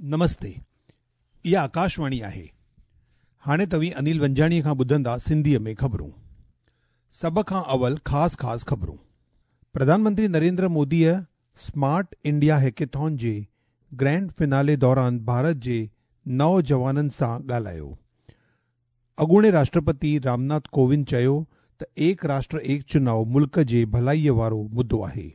نمستي اها آڪاشواڻي آهي. هاڻي توهين انيل ونجاڻيء کان ٻڌندا سنڌيء ۾ خبرون. سڀ کان اول خاص خاص خبرون. پرڌان منتري نريندر موديء سمارٽ انڊيا هيڪيٿان جي گرينڊ فنالي دوران ڀارت جي نوجوانن سان ڳالهايو. اڳوڻي راشٽرپتي رامناٿ ڪووند چيو ته ايڪ راشٽر ايڪ چناء ملڪ جي ڀلائيء وارو مدو آهي.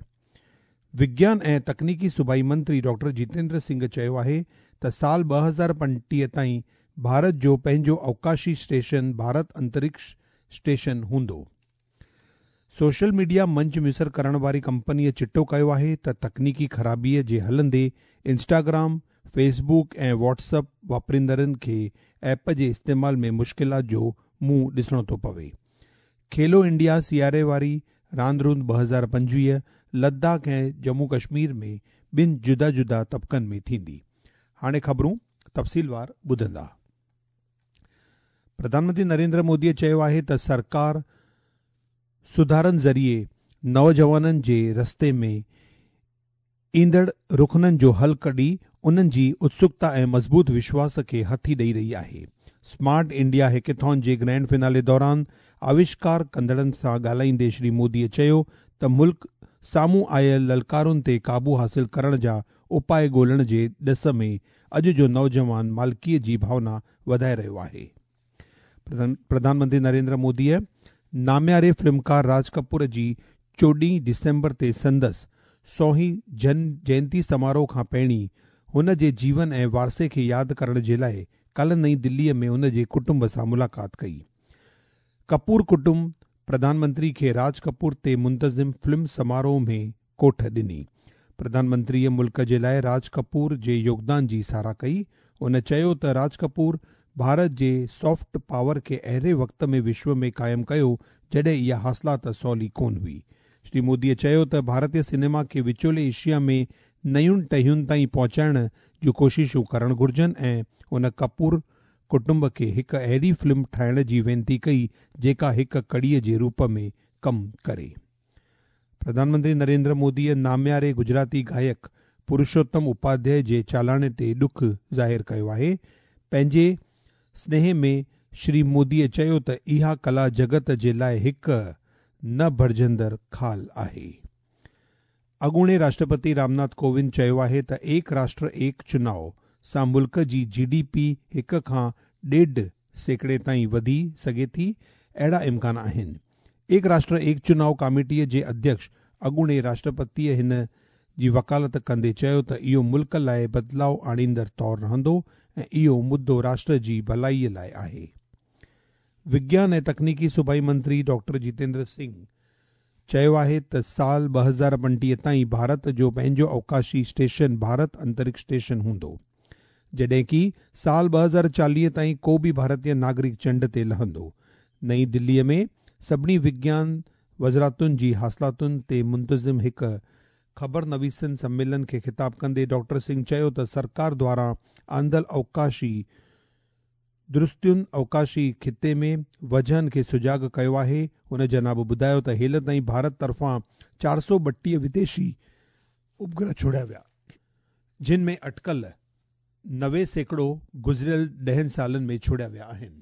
وگيان ۽ تڪنيڪي صوبائي منتري ڊاڪٽر جتيندر سنگهه چيو آهي ته سال 2035 تائين ڀارت جو پنهنجو اوڪاشي اسٽيشن ڀارت انترڪش اسٽيشن هوندو. سوشل ميڊيا منچ ميسر ڪرڻ واري ڪمپنيء چٽو ڪيو آهي ته تڪنيڪي خرابيء جي هلندي Instagram, Facebook ۽ WhatsApp واپريندڙن کي ايپ جي استعمال ۾ مشڪلات جو منهن ڏسڻو ٿو پوي. کيلو انڊيا سياري واري راند روند 2025 لداخ ۽ ڄمون ڪشمير ۾ ٻن جدا جدا طبقن ۾ ٿيندي. هاڻي خبرون تفصيلوار ٻڌندا. پرڌان منتري نريندر موديء چيو آهي ته سرڪار سڌارن ذريعي نوجوانن جي رستي ۾ ايندڙ رخنن جو حل ڪڍي انهن جي اتسڪتا ۽ مضبوط وشواس کي هٿي ڏئي رهي آهي. سمارٽ انڊيا هيڪيٿان جي گرينڊ فنالي دوران آوشڪار ڪندڙن سان ڳالهائيندي شري موديء چيو ته ملڪ سامهون آيل للڪارن تي قابو حاصل ڪرڻ جا اپاء ڳولڻ جي ڏس ۾ اڄ جو نوجوان مالڪيء جي ڀاونا وڌائي رهيو آهي. پرڌان منتري نريندر موديء نامياري فلمڪار راج ڪپور جي 14 ڊسمبر تي سندس 100هين جن جينتي سماروهه کان پهرين هن جي جيون ۽ وارثي کي ياد ڪرڻ جي لاء ڪالهه نئين دليء ۾ هن جي ڪٽنب سان ملاقات ڪئي. ڪپور ڪٽنب پرڌان منتري کي راج ڪپور تي منتظم فلم سماروهه ۾ ڪوٺ ڏني. پرڌان منتريء ملڪ جي لاء راج ڪپور جي يوگدان جي ساراهه ڪئي. هن چيو ته راج ڪپور ڀارت جي سافٽ پاور کي اهڙي وقت ۾ وشو ۾ قائم ڪيو جڏهن اها حاصلات سولي ڪونه هئي. شري موديء چيو ته ڀارتي سئنيما کي وچولي ايشيا ۾ نين ٽهين تائين پهچائڻ جون ڪوششون ڪرڻ گهرجن ۽ هن ڪپور ڪٽنب کي هڪ اهڙي فلم ٺاهڻ جي وينتي ڪئي جيڪا هڪ ڪڙيء جي روپ ۾ ڪم ڪري. پرڌان منتري نريندر موديء نامياري گجراتي گائڪ پرشوتم اپاڌياء جي چالاڻي تي ڏک ظاهر ڪيو آهي. پنهنجي سنيهي ۾ شري موديء چيو ته اها ڪلا جڳت جي لاء هڪ نه ڀرجندڙ خال آهي. اڳوڻي راشٽرپتي رامناٿ ڪووند چيو آهي ته ايڪ راشٽر ايڪ چناء سان ملڪ جي جي ڊي پي 1 کان 1.5% تائين وڌي سگهي ٿي، اهڙا امڪان آهن. ايڪ راشٽر ايڪ چناء ڪاميٽيء جي اڌيڪش اڳوڻي راشٽرپتيء هن جي وڪالت ڪندي چيو ته اهو ملڪ لاء بدلاء آڻيندڙ طور رهندو ۽ اهو مدو راشٽر جي ڀلائيء لاء آهي. وگيان ۽ تڪنيڪي صوبائي منتري ڊاڪٽر جتيندر سنگهه چيو آهي ته سال 2035 تائين ڀارت جو پنهنجو اوڪاشي اسٽيشن ڀارت انترڪش اسٽيشن هوندو. جڏهن ڪي سال 2040 تائين ڪو به ڀارتي ناگرڪ چنڊ تي لهندو. نئين دليء ۾ سڀني وگيان وزارتن جي حاصلاتن تي منتظم هڪ خبرنويسن سميلن کي خطاب ڪندي ڊاڪٽر سنگهه چيو ته سرڪار دواران آندل اوڪاشي درستين اوڪاشي خطي ۾ وجهن کي سجاڳ ڪيو آهي. هن جناب ٻڌايو ته هيل تائين ڀارت طرفان 432 وديشي اپگرهه ڇوڙيا ويا، جن ۾ اٽڪل 90% گذريل 10 سالن ۾ ڇوڙيا ويا آهن.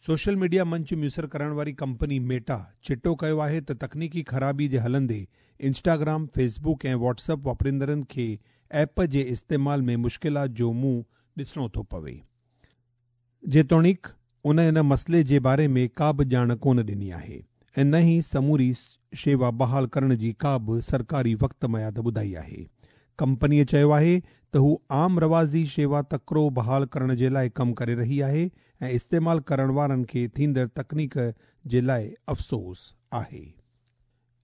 سوشل ميڊيا منچ ميسر ڪرڻ واري ڪمپني ميٽا چٽو ڪيو آهي ته تڪنيڪي خرابي جي هلندي Instagram, Facebook ۽ WhatsApp واپريندڙن کي ايپ جي استعمال ۾ مشڪلات جو منهن ڏسڻو ٿو پوي. جيتوڻيڪ ان ان مسئلي جي باري ۾ ڪا به ڄاڻ ڪونه ڏني آهي ۽ نه ئي سموري شيوا بحال ڪرڻ جي ڪا به سرڪاري وقت ميعاد ٻڌائي آهي. ڪمپنيء چيو آهي ته هو عام رواجي شيوا تڪڙو بحال ڪرڻ جي لاء ڪم ڪري رهي آهي ۽ استعمال ڪرڻ وارن کي ٿيندڙ تڪنيڪ جي لاء افسوس آهي.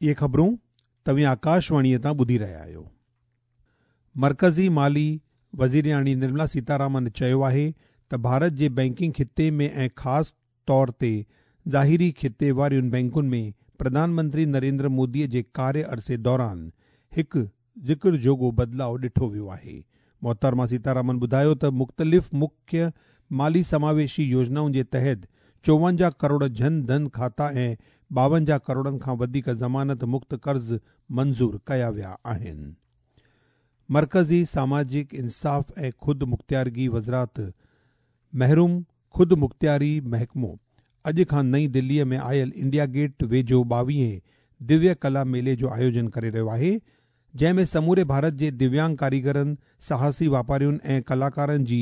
اهي خبرون توهين آڪاشواڻيء تان ٻڌي رهيا آهيو. مرڪزي مالي وزيرياڻي نرملا سيتارامن چيو آهي ته ڀارت جي بئنڪنگ خطي ۾ ۽ خاص طور تي ظاهري خطي وارين بئنڪن ۾ پرڌان منتري نريندر موديء جي ڪاريه عرصي دوران هڪ ذڪر جوڳو بدلاء ڏٺو ويو آهي. محترمه سيتارامن ٻڌايو ته مختلف مکيه مالي سماويشي يوجنائن جي تحت 54 ڪروڙ جن ڌن کاتا ۽ 52 ڪروڙن کان وڌيڪ ضمانت مڪت قرض منظور ڪيا ويا آهن. مرڪزي ساماجڪ انصاف ۽ خود مختيارگي وزارت محروم خود مختياري محڪمو اڄ کان نئين دليء ۾ آيل انڊيا گيٽ ويجهو ٻاويهين دويه ڪلا ميلي جو آيوجن ڪري رهيو آهي، جنهن ۾ سموري ڀارت جي دويانگ ڪاريگرن، ساهسي واپارين ۽ ڪلاڪارن جي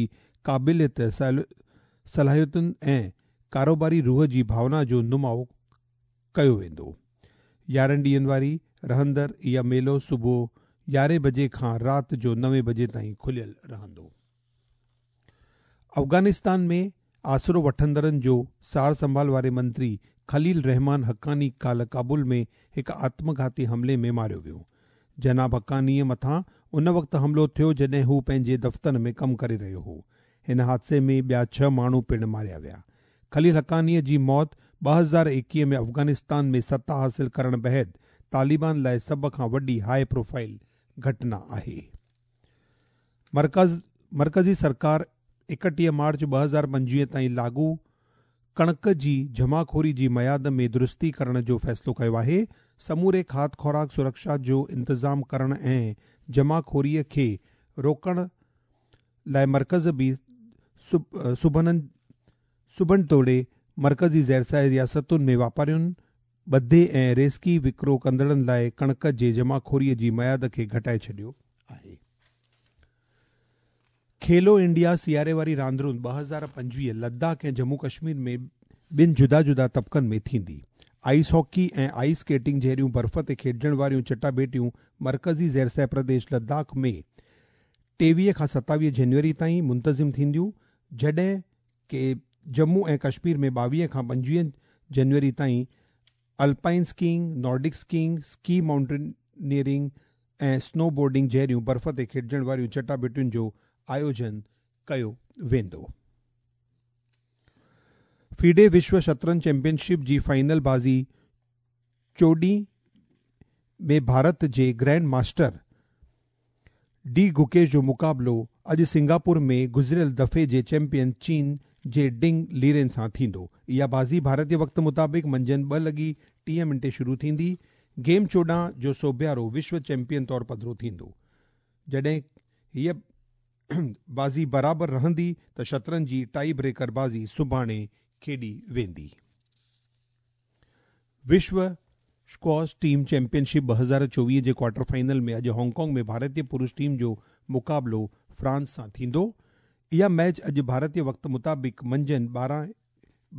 قابليت، صلاحيتن ۽ ڪاروباري روح جي ڀاونا جو نماء ڪيو ويندو. 11 ڏينهن واري رهندڙ اها ميلو صبح 11 بجي کان رات جو 9 بجي تائين کليل رهندو. افغانستان ۾ آسرو وٺندڙن جو سار سنڀال واري منتري خليل رحمان حقاني ڪالهه ڪابل ۾ هڪ آتم گهاتي حملي ۾ ماريو ويو. جناب حقانيء مٿان ان وقت حملو ٿيو جڏهن هو پنهنجي دفتر ۾ ڪم ڪري رهيو هو. هن حادثي ۾ ٻيا 6 ماڻهو پڻ ماريا ويا. خليل حقانيء جي موت 2021 ۾ افغانستان ۾ ستا حاصل ڪرڻ بعد طالبان لاء سڀ کان وڏي هاء پروفائيل گهٽنا آهي. مرڪزي سرڪار 31 مارچ 2025 تائين لاڳو ڪڻڪ جي جمعخوري جي ميعاد ۾ درستي ڪرڻ جو فيصلو ڪيو آهي. سموري کاڌ خوراڪ سرڪشا جو انتظام ڪرڻ ۽ جمعخوريء کي روڪڻ لاءِ مرڪز به صوبن توڙي مرڪزي زيرسايه رياستن ۾ واپارين، ٻڌي ۽ ريزڪي وڪرو ڪندڙن لاءِ ڪڻڪ جي جمعخوريء جي ميعاد کي گهٽائي ڇڏيو آهي. کيلو انڊيا سياري واري راندرون 2025 لداخ ۽ ڄمون ڪشمير ۾ ٻن جدا جدا طبقن ۾ ٿيندي. آئيس هاڪي ۽ آئيس اسڪيٽنگ جهڙيون برف تي کيڏجڻ واريون چٽاڀيٽيون مرڪزي زيرسيٰ پرديش لداخ ۾ 23 کان 27 جنوري تائين منتظم ٿينديون، جڏهن ڪي ڄمون ۽ ڪشمير ۾ 22 کان 25 جنوري تائين alpine skiing, Nordic skiing, ski mountaineering ۽ snowboarding جهڙيون برف تي کيڏجڻ واريون چٽاڀيٽين جو آيوجن ڪيو ويندو. فيڊي وشو شطرنج چيمپيئن شپ جي فائنل بازي چوڏهين ۾ ڀارت جي گرينڊ ماسٽر ڊي گوڪيش جو مقابلو اڄ سنگاپور ۾ گذريل دفعي جي چيمپيئن چين جي ڊنگ ليرين سان ٿيندو. اها بازي ڀارتي وقت مطابق منجهند 2:30 شروع ٿيندي. گيم 14 جو سوڀيارو وشو چيمپيئن طور پڌرو ٿيندو. جڏهن هيء بازي برابر رهندي ته شطرنج جي ٽائي بريڪر بازي سڀاڻي کيڏي ويندي. وشو اسڪواش ٽيم چيمپيئن شپ 2024 جي ڪوارٽر فائنل ۾ اڄ هانگ ڪانگ ۾ ڀارتي پرش ٽيم جو مقابلو فرانس سان ٿيندو. اها ميچ اڄ ڀارتي وقت مطابق منجهند 12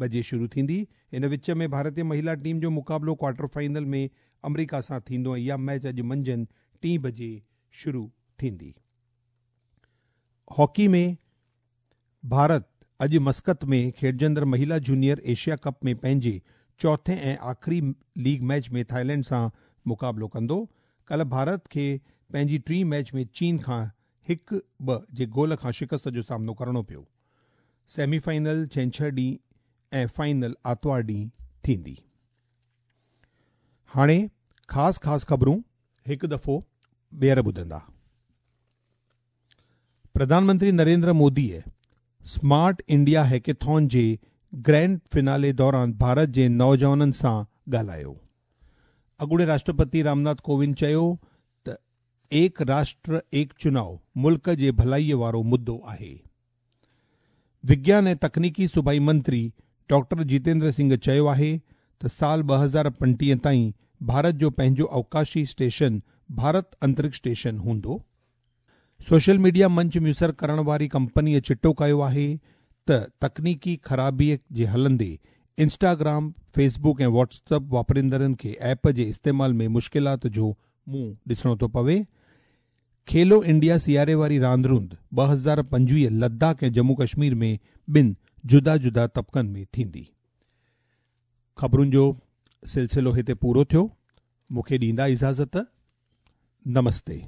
بجي شروع ٿيندي. ان وچ ۾ ڀارتي مهلا ٽيم جو مقابلو ڪوارٽر فائنل ۾ آمريڪا سان ٿيندو ۽ اها ميچ اڄ منجهند 3 بجي شروع ٿيندي. هاڪي ۾ ڀارت اڄ مسقط ۾ کيڏجندڙ مهلا جونيئر ايشيا ڪپ ۾ پنهنجي چوٿين ۽ آخري ليگ ميچ ۾ ٿائيلينڊ سان مقابلو ڪندو. ڪالهه ڀارت کي پنهنجي ٽين ميچ ۾ چين کان 1-2 جي گول کان شڪست جو سامنو ڪرڻو پيو. سيمي فائنل ڇنڇر ڏينهن ۽ فائنل آتوار ڏينهن ٿيندي. هاڻي خاص خاص خبرون هڪ دفعو ٻيهر ٻڌندا. پرڌان منتري نريندر موديء سمارٽ انڊيا هيڪاٿون جي گرينڊ فنالي دوران ڀارت جي نوجوانن سان ڳالهايو. اڳوڻي راشٽرپتي رامناٿ ڪووند چيو ته ايڪ راشٽر ايڪ چناء ملڪ جي ڀلائيء وارو مدو آهي. وگيان ۽ تڪنيڪي صوبائي منتري ڊاڪٽر جيتيندر سنگهه چيو آهي ته سال 2035 تائين ڀارت جو پنهنجو اوڪاشي اسٽيشن ڀارت انترڪش اسٽيشن هوندو. سوشل ميڊيا منچ ميسر ڪرڻ واري ڪمپنيء چٽو ڪيو آهي ته تڪنيڪي خرابيء جي هلندي Instagram, Facebook ۽ Whats app واپريندڙن کي ايپ جي استعمال ۾ مشڪلات جو منهن ڏسڻو ٿو پوي. کيلو انڊيا سياري واري راندروند 2025 لداخ ۽ ڄمون ڪشمير ۾ ٻن جدا جدا طبقن ۾ ٿيندي. خبرن جو سلسلو هتي پورو ٿيو. مون کي ڏيندا اجازت. نمستي.